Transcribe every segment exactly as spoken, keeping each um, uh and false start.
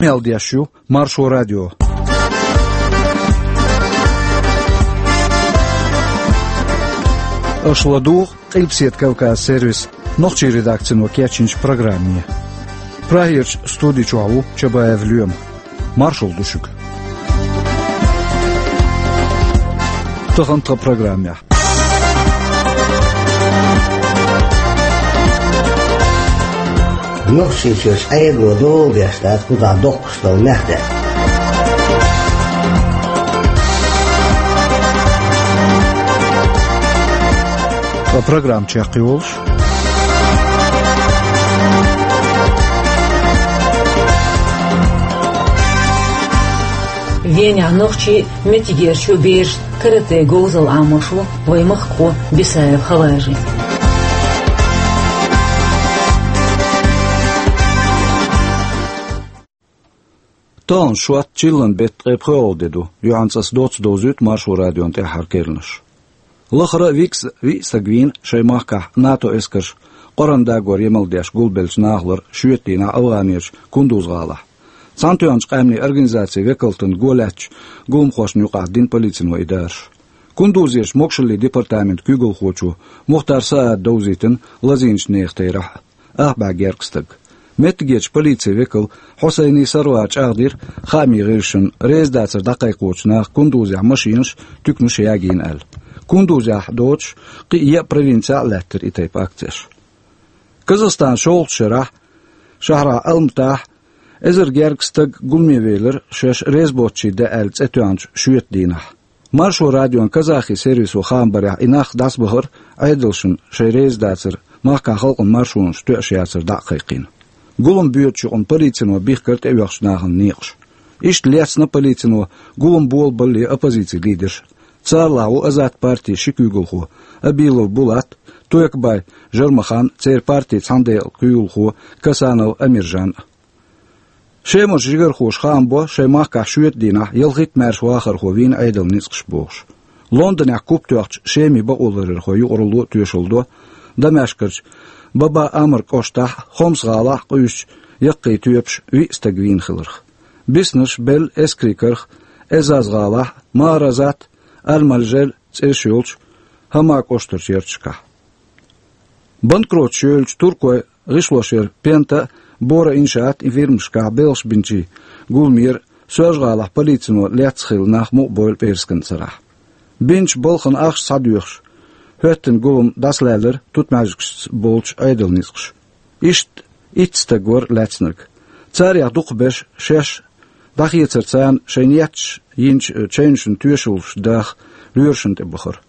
Къамел деш ю Маршо радио. Аша ладугӀу Къилбаседа Кавказ сервисан нохчийн редакцино кечйинчу программе. Прагерчу студи чохь ву Чабаев Лоьма. Маршалла ду шуьга. Тахана тхан программехь. Нохчийчуьра Ӏедало дола деш дац кхузахь доккхуш долу мехь деш. Ткъа программа чекхйолуш. Венехь нохчий, меттигерчу бераш каратэ говзалла Ӏамош ву вайн махкахо Бисаев Хаважи. Тахана шот, чиллан беттан ткъе пхоьалгӀа де ду, юьхьанца ас доцца довзуьйту Маршо радион тӀаьххьара керланаш. Лахара а виъ стаг вийна шайн махкахь НАТО эскарша Къуръан дагор емал деш гулбеллачу нахалара шоьтан дийнахь АвгӀанерчу Кундуз-гӀалахь. Цхьаьнатоьхначу Къаьмнийн Организацин векалтана го лаьцначу гуламхошна юкъахь дина полицино и дараш. Кундузерчу могушаллин департаментан куьйгалхочо Мухтар Саада довзийтина лазийначу нехан терахь а, ах бӀе гергга стаг. Меттигерчу полицин векал Хьусайни Сарвара чӀагӀдира хаамийн гӀирсашна, резадацар дӀакхайкхочу наха Кундузехь машинаш, туьканаш ягийна аьлла. Кундузехь доцуш кхин а еа провинцехь а лаьттира и тайпа акцеш. Казахстанан шолгӀачу шарахь, шахьрахь Алматахь, эзар гергга стаг гуламе велира шаьш реза боцчу де аьлла цӀе тоьхначу шоьтан дийнахь. Маршо радион казахи сервисо хаам барехь, и нах дӀасабахара Ӏедалшна шайн резадацар махкахь халкъан маршонаш тоьаш яцар дӀа а кхайкхийна. Гулам боьдучу юкъана полицино бихкира тӀеоьхучу нахана некъаш. Иштта лецна полицино гулам болабаллалц оппозицин лидерш. Царлахь ву Азат партин ши куьйгалхо Абилов Булат, Тойкбай Жармахан, церан партин цхьаьнадекъала куьйгалхо Касанов Амиржан а. Шемарчу жигархоша хаам бо шайн махкахь шоьтан дийнахь ялхитта маьрша вахархо вийна Ӏедалан ницкъаша бохуш. Лондонехь куп тоьхначу Шеман бакъоларъярхойн юкъаралло а тоьшалла до Дамаскарчу Баба Амр кӀоштахь а, Хомс-гӀалахь а къуьйсучу яккхийчу тоьпаша виъ стаг вийна хиларх. Биснарш белла Эскарин карах, Эзаз-гӀалахь а, Маразат а, Аль-Малжель а цӀераш йолчу Хьама кӀоштарчу ярташкахь. Банкроташ йолчу туркойн гӀишлошъяран Пента а, Бора иншаат а фирмашкахь белхаш бинчийн гуламера Соьлжа-ГӀалахь полицино лецна хилла нах мукъабойла пӀераскан сарахь. Бинчу балхана ахча схьадоьхуш хӀоьттина гулам дӀасалаьллира Тутмаьждигашца болчу Ӏедалан ницкъаша. Иштта итт стаг вара лаьцнарг. Царех дукхахберш шаьш дӀахецара царна шайн етташ йинчу чевнашна тоьшаллаш даха лоьрашна тӀе бахара.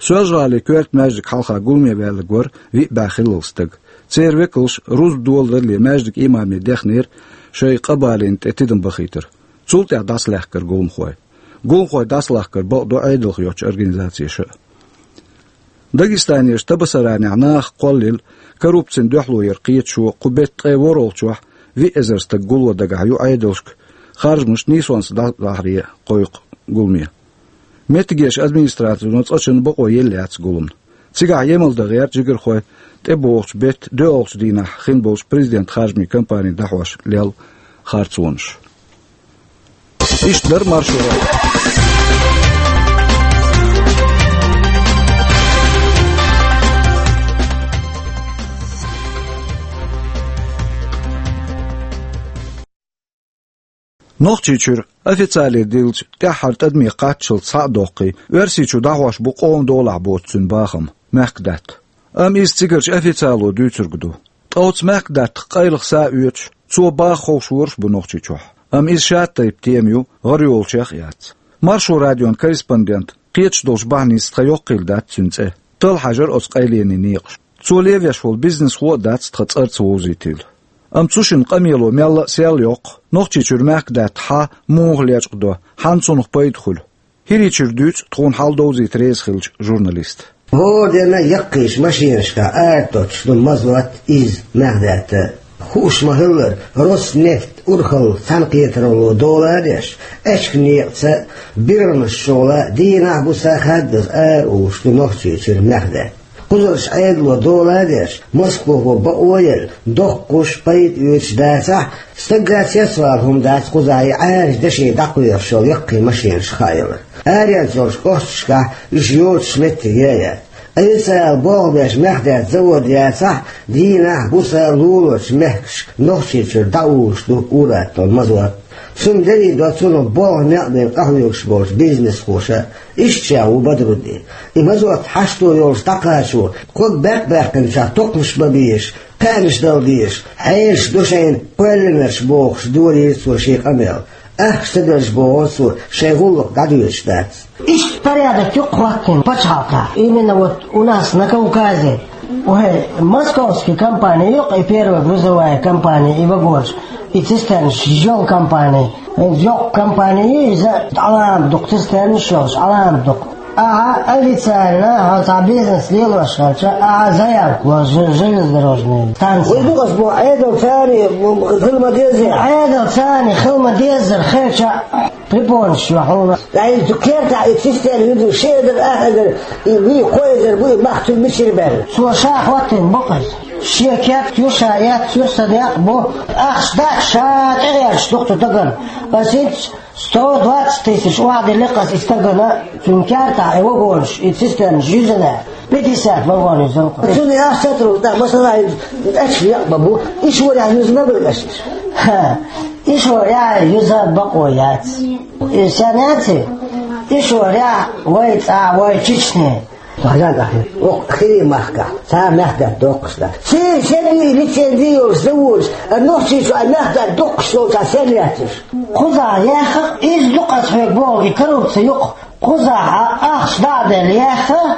Соьлжа-ГӀалин коьрта маьждиг хьалха гуламе ваьлларг вара виъ бӀе хиллал стаг. Церан векалш рузба доладалале маьждиган имаме дехнера шайн къа балийна тӀе тидам бахийтар. Цул тӀаьхьа дӀасалаьхкара гуламхой. Гуламхой дӀасалахкар бакъдо Ӏедалх йоцчу организацеша а. Дагестанерчу Табасаранехь нахах кхоллаелла коррупцина дуьхьало яран кхеташо кху беттан ткъе ворхӀалгӀачохь виъ эзар стаг гулло дагахь ю Ӏедалшка харжамаш нийсонца дӀадахьаре кхойкху гуламе. Меттигерчу администрацино цкъачунна бакъо елла яц гуламна. Цигахь емал дан гӀерта жигархой тӀебогӀучу беттан доьалгӀачу дийнахь хин болчу президентан харжамийн кампани дӀахьош лелла харцонаш. Иштта дара Маршо радион. Нохчийчуьра официале диллича тӀаьххьара тӀадаме кхаччалц схьа а доккхий, Оьрсийчу дӀахьош бу къоман долахь боцу цуьнан бахам, мехкадаьтта. Амма иза цигарчу официало дуьйцург ду. Ткъа оцу мехкадаьттах къайлаха са а оьцуш, цо баха ховшораш а бу Нохчийчохь. Амма иза шатайпа тема ю, гӀара йолчех а яц. Маршо радион корреспондент кхеташ долчу бахьаница тхан йоккхийла дац цуьнан цӀе. Талла хьажар оцу къайленийн некъаш. Цо левеш волу бизнесхо а дац тхан цӀарца вовзийтийла. Амма цу шинна къамело мелла а сел йоккху, Нохчийчуьра мехкадаьтта хьан муха лечкъадо, хьанна цунах пайда хуьлу. ХӀирийчуьра дуьйцу тхуна хьал довзийта реза хиллачу журналиста. ХӀора дийнахь яккхийчу машинашкахь арадоцуш ду мазот, иза мехкадаьтта. Хууш ма-хиллара, Роснефть урхалла цхьаьнакхетаралло дола а деш, аьчка некъаца, биргӀанаш чухула дийнахь-буса хаддаза ара уллуш ду Нохчийчуьра мехкадаьтта. Кхузарчу Ӏедало дола а деш, Москвахо бакъо а елла, доккхуш, пайда оьцуш дацахь, стагга цецвала хӀума дац кхузахь и Ӏаьржа деши дӀакхоьхьуш йолу яккхий машенаш хааялар. Аренца йолчу кӀошташкахь уьш йоцуш меттиг яц. Ткъа ца ала болх беш мах даьтта завод яцахь, дийнахь, буса луларчу мехкашка Нохчийчуьра дӀауллуш ду ур-атталла мазот. Цунна дерриг до цунах болх некъ бен къахьоьгуш болчу бизнесхоша, иштта ша ву Бадруддин. И мазот хьашто йолуш дӀакхачо, ког баьккх-баьккхинчохь токхамаш бан безаш, кхаьънаш дала дезаш, хьелаш ду шайна кхоьллинарш бохуш, дорийра цо шен къамел. Ахча ца делча боху цо, шайн гӀуллакх дӀадоьдуш дац. Иштта порядок ю-кх хӀоттийна пачхьалкхехь. Именно вот у нас на Кавказе. Ой, московский компания ю-кх и первая грузовая компания, и вагонаш, и цистернаш йолу компания. Йоккха компания ю иза, Ӏаламат ду-кх цистернаш йолуш, Ӏаламат ду-кх. Ахьа официально хьо цхьа бизнес лелош хилча, ахьа заявка ло жел-, железнодорожный станция. Вай ду ас боху, Ӏедал царий хила ма-деззара. Ӏедал царий хила ма-деззара хилча, препонаш ю хьуна. Ай, цу кертахь и цистерна ю ду, ши эзар, ах эзар, и вуй, кхо эзар бу, и мах цуьнан мичара баьлла? Цо ша хӀоттийна бу-кх иза. Шен керт ю, ша эцна ю, сан некъ бу. Ахча дац, ша тӀегӀерташ ду-кх цу стагана. Ас хӀинца сто двадцать тысяч охьадиллира-кх ас и стагана, цуьнан кертахь и вагонаш, и цистернаш юьзна. Пятьдесят вагон юьзна-кх. Цуьнан аш сотрудник, масала, и тӀаьчхьа некъ ма бу, и шорехь юьзна ма бу аша. Ха, и шорехь юьза бакъо яц. И сенаци, и шорехь вай цӀа, вай Чечне. Хьажа тӀаккха, оха хири махкахь, цхьа а мах даьтта доккхуш дац. Церан шен лицензи йолуш заводаш, а Нохчийчу а мах даьтта доккхуш йолчохь сен яц уьш? Кхузахь яьхна, иза ду-кх ас хьоьга боху, и коррупци ю-кх. Кхузахь а ахча дӀа а делла яьхна,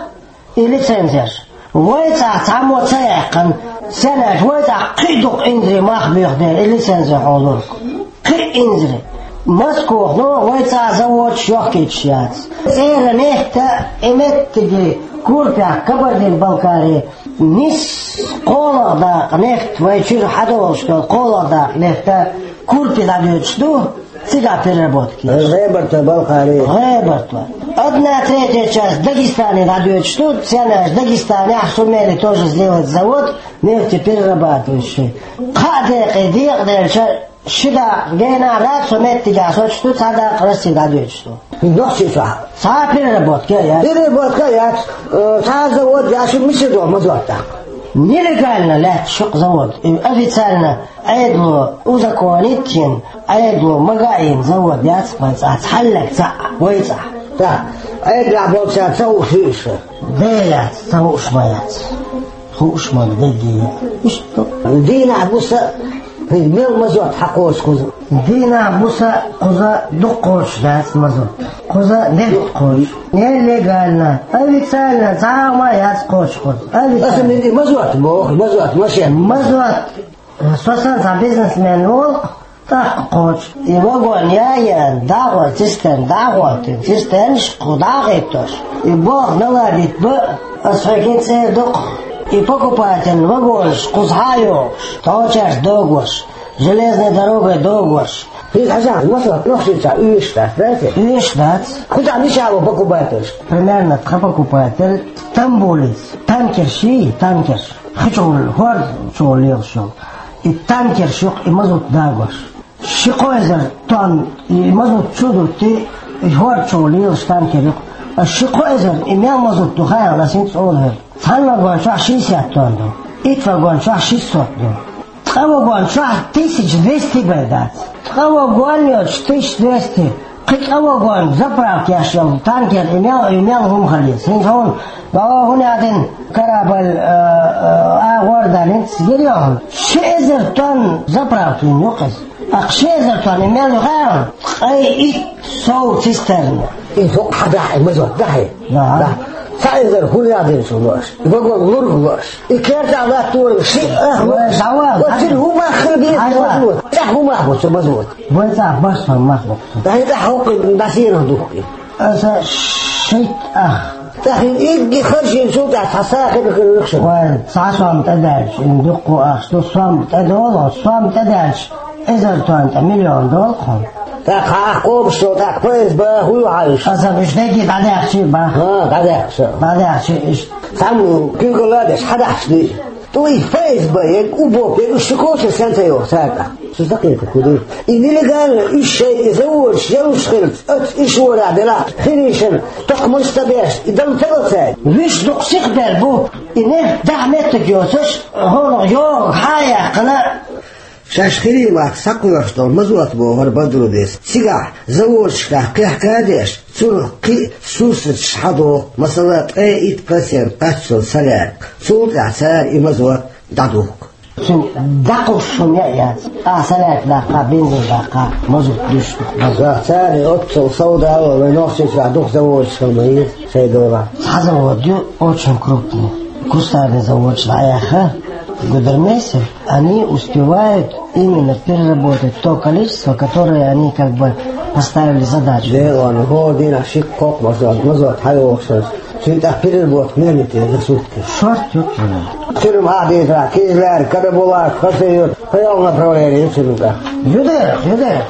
и лицензеш. Вай цӀахь цхьаммо ца яьккхина, сенаш вай цӀахь кхин а дукха инзаре мах буьйху дела, и лицензи хьолура-кх. Кхин а инзаре. Москвахь, ну, вай цӀахь заводаш йохкуьйтуш яц. ЦӀера нехта и меттиге Курпехь, Кабардин-Балкари, нис кхоалгӀа дакъа нехта вай чуьра хьадолуш долу кхоалгӀа дакъа нехта Курпе дӀадоьдуш ду. Цигахь переработка еш. ГӀебарта, Балкхари. ГӀебарта. Одна третья часть Дагестане дӀадоьдуш ду, цхьаьна аьлча Дагестанехь сумели тоже сделать завод нефтеперерабатывающий. Кхаа декъе декъаделча, ши дакъа генахь дац, со меттигехь соцуш ду, цхьа дакъа Россия дӀадоьдуш ду. Нохчийчохь. Цхьа переработка яц. Переработка яц, э, цхьа завод яц, шу мичара доху мазот тӀаккха? Нелегально лаьтташ ю-кх завод. И официально Ӏедало узаконить йина, Ӏедало ма гаийна завод яц вай цӀахь, цхьаллиг цхьаъ вай цӀахь. Так, Ӏедалехь болчара ца хууш ю иза? Де яц, ца хууш ма яц. Хууш ма ду, дегге. Иштта. Дийнахь буса, хӀинца мел мазот хьакхочу кхуза? Дийнахь буса кхуза дукха кхочуш дац мазот. Кхуза дерриг кхочуш. Нелегально, официально, цхьа а ма яц кхочуш кхуза. Официально. Аса мин и мазот боху, мазот, машен. Мазот. Со санна цхьа бизнесмен волу, тӀаккха кхочу. И вагон ян, дӀагӀо, цистерн дӀагӀоттина, цистернаш кху дӀагӀиттош. И болх наладить бан, ас хьоьгахь цӀера ду-кх. И покупатель вагонаш кхуза хьа а йохуш, тхьочаьрца догош, железной дорогой догош. Хьийза хьажахь, масала, Нохчийчохь уьйш дац, дац? Уьйш дац. Кхузахь мичахь бу покупательш? Примерно тхан покупатель Стамбулица танкерш йий, танкерш. Хи чухула, хӀорда чухула лелаш йолу. И танкерш ю-кх и мазут дагош. Ши-кхо эзар тонн и мазут чу а дутти, и хӀорда чухула лелаш танкер ю-кх. Ас ши-кхо эзар и мел мазут ду хаьа, ас хӀинца олу хӀара. Цхьана вагон чохь шестьдесят тонн ду, итт вагон чохь шестьсот ду. Ткъа вагон чохь тысяча двести бен дац. Ткъа вагон йоцуш тысяча двести. Кхин цкъа вагон заправка еш йолу танкер и мел, и мел хӀума хилийта. ХӀинца хьуна, бао хӀун яздина, корабль, э, э, агӀор далинца гира йохуна. Ши эзар тонн заправка йина ю-кх иза. Акха ши эзар тонн и мел ю хаьа хьуна? Ткъе итт сов цистерна. И хӀокху хьан дахьа, и мазот дахьа? Да. Да. Цхьа эзар хӀун яздина шу лоош? И вагон лург лоош? И кертахь латтор ши ах лоош? Вай, давай, вот давай. Цуьнан хӀун мах хила беза? Давай. Мазот. ТӀехь хӀун мах бу цу мазот? Вай цӀа барсам мах боккху. Дай тӀе хьокхуьйту дӀасийрах духкий. Аса шийтта ах. ТӀаккха хӀинца игги харжийна цул тӀаьхьа цхьа сахьт хир хир вуьхуш. Вай, цхьа сом тӀедаьлча, хӀинца дуккха ахча ду, сом тӀедолу, сом тӀедаьлча, эзар тонна тӀе миллион долу хьуна. ТӀаккха хьа къобуш долу, тӀаккха П С Б хӀун ю хьан уьш? Аса уьш дегги дӀадаьхчи бан. ХӀа, дӀадаьхча. ДӀадаьхчи иштта. Цхьаммо куьйгалла а деш, хьадаьхча дуй. ТӀуй П С Б ерг, УБОП ерг, уьш шу коча сенца йоху цаьрга? Цу закъета куьду. И нелегально уьш шайн и заводаш ялуш хилча, оцу иш ворахь делахь, хирийшина, токхамаш ца беш, и дала ца до цаьрга. Вуьш дукха сиха бер бу, и нефть дахьа меттиг йоцуш, хӀунах йогӀу хьан яьккхина? Шаьш хирий махка схьакхоьхьуш долу Мазот бохура Бадрудис. Цигахь заводашкахь кхехка а деш, цунах кхин а сурсаташ хьадоху, масала, ткъе итт процент кхаччалц солярка. Цул тӀаьхьа цара и Мазот дӀадухку. Цуьнан дӀакхуссуш хӀума яц. Ахьа солярка даккха, бензин даккха, мазут дуьсуш ду. Цара оццул сов дало, вайн нохчийчохь дукха заводаш хила ма еза шайн долахь. Цхьа завод ю, очень крупный. Кустарный заводаш дӀаяьхна, Гудермесе. Они успевают именно переработать то количество, которое они как бы поставили задачу. Дело, ну, хӀора дийнахь ши-кхо Мазот, Мазот хьайогӀуш. Цуьнан тӀаккха переработка мел йита за сутки? Шорт ю. Цуьнан хьан дийцарехь, Кизляр, Карабулак, Хасавюрт, кхин йолу направление ю цуьнан тӀаккха? Ю дера, ю дера.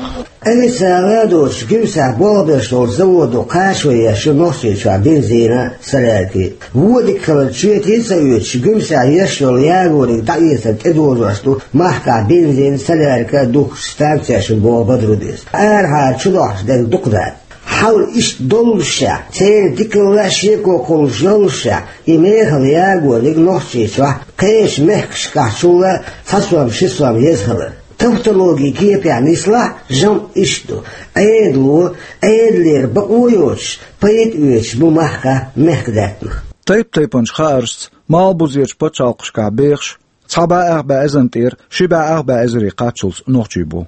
Официально а доцуш, Гуьмсехь болх беш долчу заводо кхачо еш ю Нохчийчохь бензина, солярки. Вон дика хилар чоьте а ца оьцуш, Гуьмсехь еш йолу ягориг дӀаэцар тӀедожош ду махкахь бензин, солярка духкучу станцешна, боху Бадрудис. Арахьара чудохьуш дерг дукха дац. Хьал иштта доллушехь, церан дикалла а шеко кхуллуш йоллушехь, и мехала ягориг Нохчийчохь кхечу мехкашкахьчул а цхьа сом, ши сом еза хилар. Тавтологи кепехь нислахь, жамӀ иштта ду: Ӏедало, Ӏедалера бакъо йоцуш, пайда оьцуш бу махкахь мехкадаьттанах. Тайп-тайпанчу хааршца, малхбузерчу пачхьалкхашкахь бехаш, цхьа бӀе ах бӀе эзарна тӀера ши бӀе ах бӀе эзаре кхаччалц нохчий бу.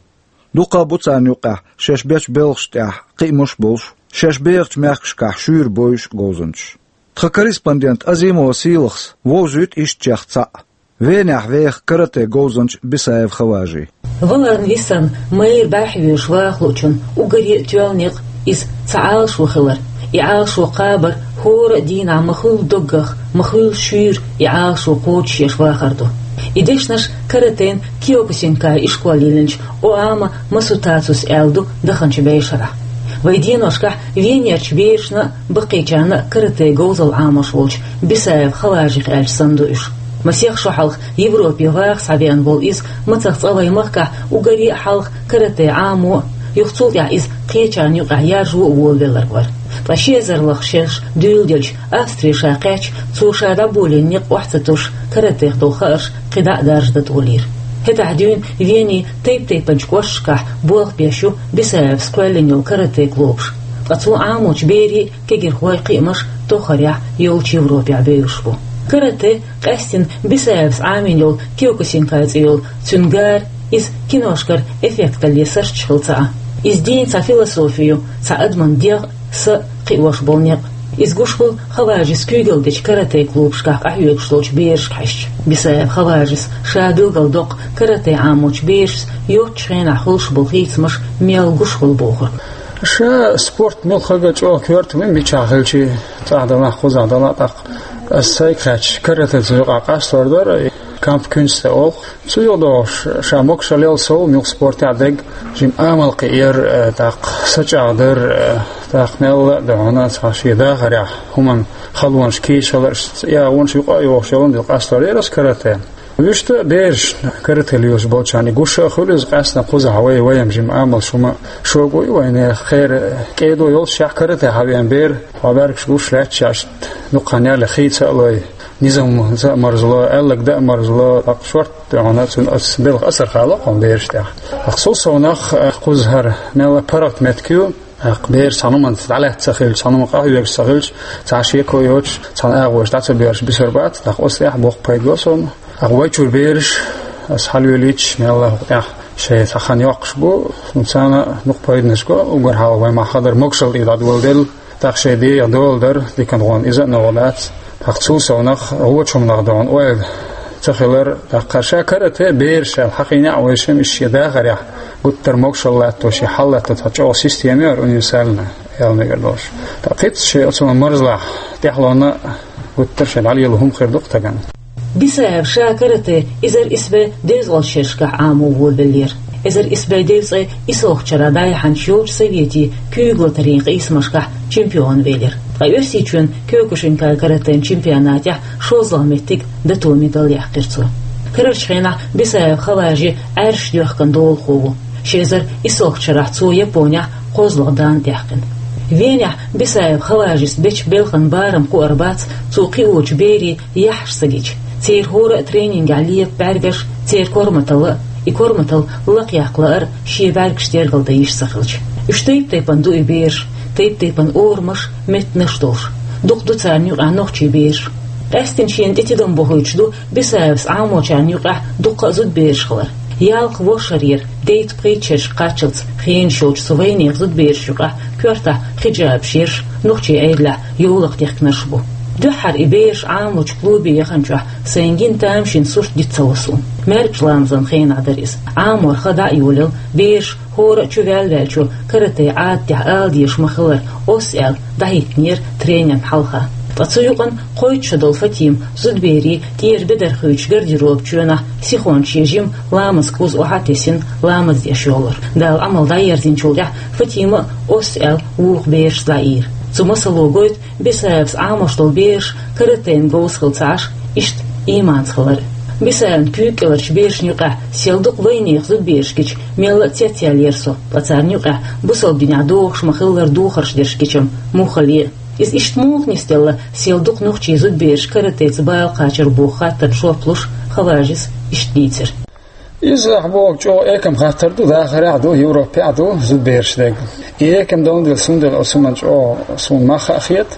Дуккха а бу царна юккъехь шаьш бечу белхаш тӀехь кхиамаш а болуш, шаьш бехачу мехкашкахь шуьйра бойуш а говзанчаш. Тхан корреспондент Азимова Сийлахьас вовзуьйту иштачех цхьаъ. Венехь веха каратэ говзанча Бисаев Хаважи. Валарна висарна майра бӀаьрхьа воьдуш ваха луучунна уггаре а тоьлла некъ иза цхьа Ӏалашо хилар. И Ӏалашо кхабар хӀора а дийнахь ма-хуьллу доггах, ма-хуьллу шуьйра и Ӏалашо кхочушъеш вахар ду. И дешнаш каратэн Киокусинкай ишкол йиллинчу Оама Масутацус аьлла ду даханчу бӀешарахь. Вайн деношкахь Венерчу берашна а, баккхийчарна а каратэ говзалла Ӏамош волчу Бисаев Хаважих аьлча санна ду уьш. Масех шо хьалха Европе ваха схьавеана волу иза мацах цкъа вайн махкахь уггаре а хьалха каратэ Ӏамо а, юха цул тӀаьхьа иза кхечарна юкъахь яржо а волавелларг вара. Ткъа ши эзар лахара шераш дуьйла делча, Австре ша кхаьчча, цо ша дӀаболийна некъ охьа ца туш, каратех долу хаарш кхин дӀа а даржадан тӀе лийра. ХӀетахь дуьйна Венин тайп-тайпанчу кӀошташкахь болх беш ю Бисаевс кхоьллина йолу каратэ клубаш. Ткъа цо Ӏамочу берийн а, кегийрхойн а кхиамаш тоххарехь йолчу Европехь бевзаш бу. Каратэ, къаьстина Бисаевс Ӏамийна йолу Киокусинкай цӀе йолу цуьнан гара, иза киношкара эффекталле сарчча хилла ца Ӏа. Иза дийнан цхьа философи ю, цхьа адаман дегӀ, са кхиош болу некъ. Иза гуш хуьлу Хаважис куьйгалла дечу каратэ клубашкахь къахьоьгуш долчу берашка хьаьжча. Бисаев Хаважис ша билгалдоккху каратэ Ӏамочу берашца йоцчу хенахь хуьлуш болу хийцамаш мел гуш хуьлу бохург. Ша спорт муьлхха а чӀогӀа коьрта ву, мичахь хилча, цӀахь делахь, кхузахь делахь, тӀаккха ас сайга хаьттича, каратэ цу юкъахь къастор дара, кампкюнсте олу. Цу юкъа догӀуш, ша могушалла яла сов, муьлхха спортехь дерг, жима амал кхиар, э, тӀаккха сачӀагӀдар, э, тӀаккха мелла а ду хьуна цхьа шен дахарехь хӀуманна халонаш кийча хилар, я гӀонаш юкъа а йохуш йолун дила къастор яра ас каратэ. Вуьшта а берашна, каратэ лелаш болчарна гуш а хуьлу иза, къаьсттина кхузахь вай, вайна жима амалш хӀума шога ю вайна, кхера кӀедо йолччехь каратэ хьавеана бер, хьо бӀаьргаш гуш лаьтташ, дукха хан ялале хийца а лой, низамца а марзло, аьлларг дан а марзло, тӀаккха шорта тӀехула цуьнан ас белхан асар хало кхунна бераш тӀехь. ТӀаккха цул совнах, э, кхузахь хӀара мелла а паргӀат меттиг ю, тӀаккха бераш цхьана хӀуманца дӀалаьцна ца хилча, цхьана хӀуманна къахьоьгуш ца хилча, цхьа шеко йоцуш, цхьана агӀош дӀа ца боьрзуш бисур бац, тӀаккха оцу тӀехь боккха пайда бо совнах. ТӀаккха вай чуьра бераш, ас хьалавелийча, мелла а хӀокху тӀехь шайн цхьа хан йоккхуш бу, ну, царна дукха пайданаш го, уггар хьалха вай махкахь хадара могушалла тӀе дӀадоладелла. ТӀаккха шайн дегӀан дола дара, диканхуна иза а новкъа дац. ТӀаккха цул совнах, вочу хӀуманах догӀун ойла ца хилар, тӀаккха ша каратэ бераш аьлла хьахийна а вайша, иштта шен дахарехь гуттар а могушалла латто, шен хьал латто цхьа чӀогӀа система яра, универсальная, аьлла мегар долуш. ТӀаккха кхин а шен оцунах марзлахь, тӀаьхьалонна гуттар а шен дӀалело хӀума хир ду-кх стагана. Бисаев ша каратэ эзар исс бӀе дезткъа шерашкахь Ӏамо волавеллера. Эзар исс бӀе девзткъе исалгӀачу шарахь дӀаяхьначу йолчу советийн куьйгалла тӀарийн къийсамашкахь чемпион велира. Ткъа Оьрсийчоьнан Киокушинкай каратен чемпионатехь шолгӀа меттиг, дату медаль яьккхира цо. Карарчу хенахь Бисаев Хаважи Ӏаьржа доьхкан долахо ву. Ши эзар исалгӀачу шарахь цо Японехь кхозлагӀа дан даьккхина. Венехь Бисаев Хаважис бечу белхан барам кхуьур бац, цо кхиочу берийн яххьаш ца гича. Церан хӀора а тренингехь лепа бӀаьргаш, церан корматалла а, и корматалла лакхаяккха лаар а шен бӀаьргаш тергал дан йиш ца хилча. Уьш тайп-тайпана ду и бераш, тайп-тайпана орамаш, меттанаш долуш. Дукха ду царна юкъахь нохчийн бераш. Къаьсттина шена тӀе тидам бохуьйтуш ду Бисаевс Ӏамочарна юкъахь дуккха а зудабераш хилар. Ялх-ворхӀ шарера дейтта-пхийтта шерашка кхаччалц хенаш йолчу цу вайнехан зудаберашна юкъахь коьртахь хиджабаш ерш, нохчийн Ӏедалехь йовлакх дихкинарш бу. Дуьххьара и бераш Ӏамочу клубе яханчохь сайн гина тамашийна сурт диц ца ло суна. МаьркӀажа ламазан хенахь дара иза. Ӏамор хан дӀа а йолийла, бераш хӀора а чу ваьлла ваьллачо карате Ӏадатехь ала дезаш ма-хиллара, осса аьлла, дӀахӀиттинера тренерна хьалха. Ткъа цу юкъана кхойтта шо долу Фатима зудаберийн тӀера бедар хуьйцуш гардеробан чоьнахь сихонца шен жима ламазан куз охьа а тесина, ламаз деш йолура. Дала Ӏамал дӀаерзинчул тӀаьхьа Фатима а осса аьлла вукху берашца дӀаийра. Цу масало гойту Бисаевс Ӏамош долу бераш каратейн говза хила ца Ӏаш, иштта ийманца хилар. Бисаевн куьйга кӀеларчу берашна юкъахь сел дукха вайнехан зудабераш гича, мелла а цецъяьллера со, ткъа царна юкъахь бусалба динехь догӀуш ма-хиллара духарш дерш гича-м муххале а. Иза иштта муха нисделла, сел дукха нохчийн зудабераш каратеца бала кхачар боху хаттарна жоп луш, Хаважис иштта дийцира. Иза ахь боху чӀогӀа экам хаттар ду, дахарехь а ду, Европехь а ду, зудабераш дерг. И экам долун дела, цундела оцу хӀуманна чӀогӀа суна мах а хета,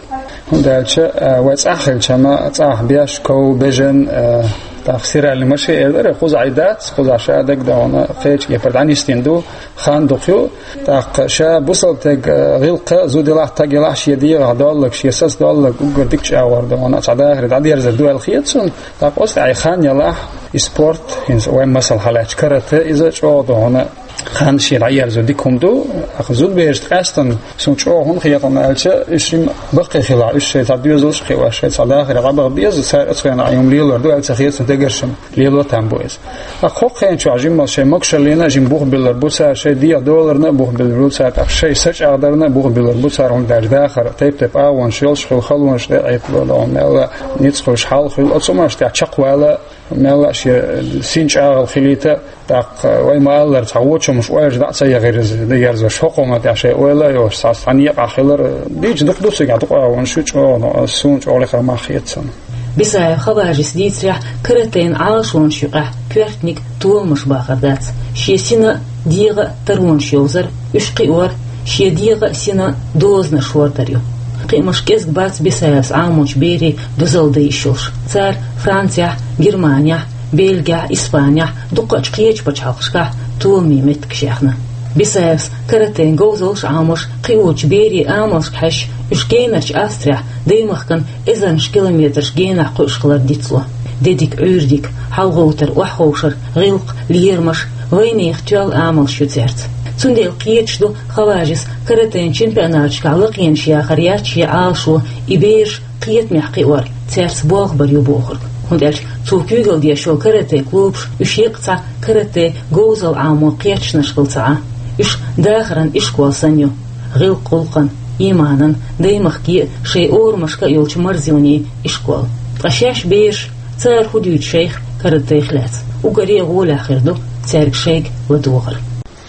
хӀунда аьлча, а, вай цӀахь хилча-м, цӀахь беш, ков, бежан, а, тӀаккха стиральный машин элира, кхузахь и дац, кхузахь ша дагадогӀуна, кхечу кепара дӀанисдина ду, хан дукха ю, тӀаккха ша бусалба стаг, а, гӀиллакх, зуда елахь, стаг елахь, шен дегӀах долларг, шен саца долларг уггар дика чӀагӀор ду, вана цхьа дахаре дӀадерзар ду аьлла хета суна, тӀаккха оцу тӀехь и хан елахь, и спорт, хӀинца вайн масал хьалаьцча карате, иза чӀогӀа ду хьуна, хан шен дӀаерзо дика хӀума ду, тӀаккха зудаберашна къаьстина суна чӀогӀа хӀунда хета аьлча, уьш жимма баккхий хилахь, уьш шайн цхьа доьзалш а кхиош, шайн цхьа дахаре дӀабаха беза, цара оцу хенахь юм лелор ду аьлла ца хета суна, дегара шимма лело там бу иза. Ткъа кхоккхенчохь жимма шайн могушаллина а жимма бух биллар бу цара, шайн дегӀан доларна а бух биллар бу цара, тӀаккха шайн са чӀагӀдарна а бух биллар бу цара, хӀунда аьлча дахар тайп-тайпа агӀонаш йолуш хуьлу, халонаш тӀе а Ӏиттало, мелла а ницкъ хуьлуш, хьал хуьлу, оцу хӀуманаш тӀехь чекхвала, мелла а шен син чӀагӀал хилийта, тӀаккха вай ма-аллара, цхьа вочу хӀуманаш ойла дӀа а ца яхийра иза, дегерзош, хӀокху хӀуманна тӀехь шайн ойла а йолуш, цхьа цхьана екъахь хилар, дийца дукха ду цигахь, дукха агӀонаш ю, чӀогӀа, но аса, суна чӀогӀа лекха мах хета цунна. Бисаев Хаважис дийцарехь, каратейн Ӏалашонаш юкъахь коьртаниг толамаш бахар дац. Шен сина а, дегӀа а таронаш йовзар, уьш кхиор, шен дегӀа а, сина а дозанаш хӀордар ю. Кхиамаш кӀезиг бац Бисаевс Ӏамочу берийн дозалла дан йиш йолуш. Цара Францехь, Германехь, Бельгехь, Испанехь, дуккхачу кхечу пачхьалкхашкахь толамийн меттигаш яьхна. Бисаевс каратейн говзаллаш Ӏамош, кхиочу берийн амалшка хьаьжча, уьш генарчу Австрехь даймахкана эзарнаш километраш генахь кхуьуш хилар дицло. Де дика, Ӏуьйре дика, хьалагӀовтар, охьаховшар, гӀиллакх, лерамаш, вайнехан тоьлла амалш ю цаьрца. Цундела кхеташ ду Хаважис каратейн чемпионаташкахь лакхенаш яхар яц шен Ӏалашо, и бераш кхетамехь кхиор цаьрца болх бар ю бохург. ХӀунда аьлча цо куьйгалла деш йолу карате клубаш, уьш еккъа цхьа карате говзалла Ӏамо кхеташонаш хилла ца Ӏа. Уьш дахаран ишкол санна ю. ГӀиллакх-гӀуллакхан, ийманан, даймахкан а, шайн орамашка а йолчу марзонийн ишкол. Ткъа шаьш бераш, цара хӀун дуьйцу шайх каратех лаьцна? Уггаре а гӀолехь хир ду цаьрга шайга ладогӀар.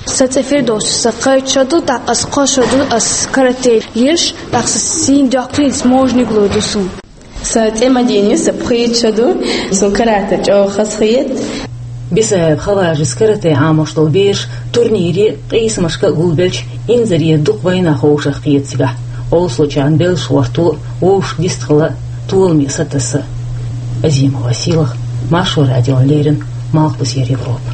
Сан цӀе Фирдовс, сан кхойтта шо ду, тӀаккха ас кхо шо ду, ас карате лелаш, тӀаккха сан сийна доккхийна можниг лур ду суна. Сан цӀе Мадина, сан пхийтта шо ду, суна карате чӀогӀа хазахета. Бисаев Хаважис карате Ӏамош долу бераш турнире а, къийсамашка а гулбелча, инзаре дукха вайнах ховшах кхета цигахь. Олсочарна беллаш гӀорто а, вовшашка дистхила а, толаме сатасса а. Азимова Сийлаха, Маршо радиона леррина, Малхбузера Европа.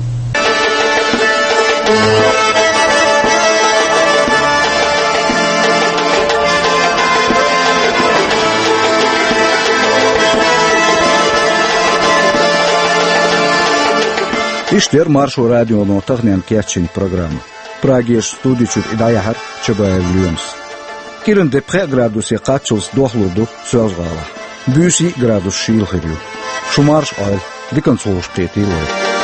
Иштта яра Маршо радионо таханлерниг кечйина программа. Прагерчу студи чуьра и дӀаяьхьира Чабаев Лоьмас. КӀиранде пхеа градусе кхаччалц дохлур ду Соьлжа-ГӀалахь. Буьйса йиъ градус шийла хир ю. Шу марша Ӏойла, диканца хууш кхетийла вай.